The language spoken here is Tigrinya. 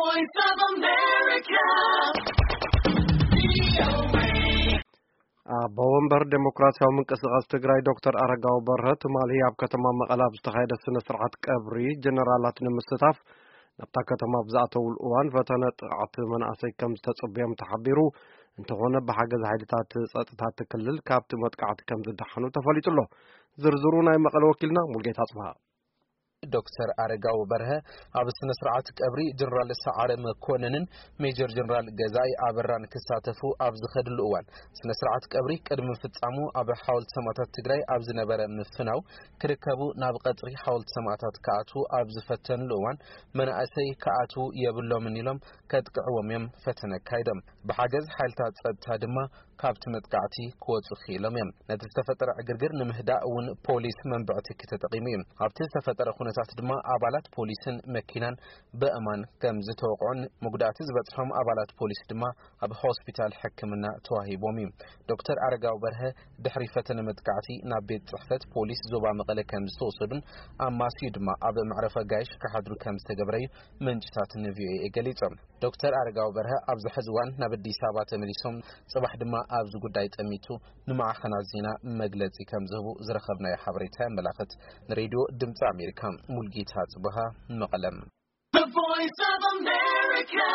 Voice of America. ኣቦ ወንበር ዴሞክራሲያዊ ምንቅስቃስ ትግራይ ዶክተር ኣረጋዊ በርሀ ትማሊ ኣብ ከተማ መቐለ ኣብ ዝተኻየደ ስነ ስርዓት ቀብሪ ጀነራላት ንምስታፍ ናብታ ከተማ ኣብ ዝኣተውሉ እዋን ፈተነ ጥቕዓት መናእሰይ ከም ዝተፅብዮም ተሓቢሩ። እንተኾነ ብሓገዝ ሓይልታት ፀጥታ እቲ ክልል ካብቲ መጥቃዕቲ ከም ዝደሓኑ ተፈሊጡ ኣሎ። ዝርዝሩ ናይ መቐለ ወኪልና ሙልጌታ ኣፅብሃ። ዶክተር ኣረጋዊ በርሀ ኣብ ስነ ስርዓት ቀብሪ ጀነራል ሰዓረ መኮንንን ሜጀር ጀነራል ገዛኢ ኣበራን ክሳተፉ ኣብ ዝኸድሉ እዋን፣ ስነ ስርዓት ቀብሪ ቅድሚ ምፍጻሙ ኣብ ሓወልቲ ሰማእታት ትግራይ ኣብ ዝነበረ ምፍናው ክርከቡ ናብ ቀጽሪ ሓወልቲ ሰማእታት ክኣትዉ ኣብ ዝፈተንሉ እዋን፣ መናእሰይ ክኣትዉ የብሎምን ኢሎም ከጥቅዕዎም እዮም ፈተነ ኣካይዶም። ብሓገዝ ሓይልታት ጸጥታ ድማ ካብቲ መጥቃዕቲ ክወጹ ክኢሎም እዮም። ነቲ ዝተፈጠረ ዕግርግር ንምህዳእ እውን ፖሊስ መንብዕቲ ተጠቒሙ እዩ። ኣብቲ ዝተፈጠረ ኩነታት ድማ ኣባላት ፖሊስን መኪናን ብእማን ከም ዝተወቕዑን መጉዳእቲ ዝበጽሖም ኣባላት ፖሊስ ድማ ኣብ ሆስፒታል ሕክምና ተዋሂቦም እዩ። ዶክተር ኣረጋዊ በርሀ ድሕሪ ፈተነ መጥቃዕቲ ናብ ቤት ጽሕፈት ፖሊስ ዞባ መቐለ ከም ዝተወሰዱን ኣማስዩ ድማ ኣብ መዕረፊ ኣጋይሽ ክሓድሩ ከም ዝተገብረ እዩ ምንጭታት ንቪኦኤ ገሊጾም። ዶክተር ኣረጋዊ በርሀ ኣብዚ ሕዚ እዋን ናብ ኣዲስ ኣበባ ተመሊሶም፣ ጽባሕ ድማ ኣብዚ ጉዳይ ጠሚቱ ንማዕኸናት ዜና መግለጺ ከም ዝህቡ ዝረኸብናዮ ሓበሬታ የመላኽት። ንሬድዮ ድምፂ ኣሜሪካ ሙልጌታ ጽብሃ፣ መቐለም። The Voice of America.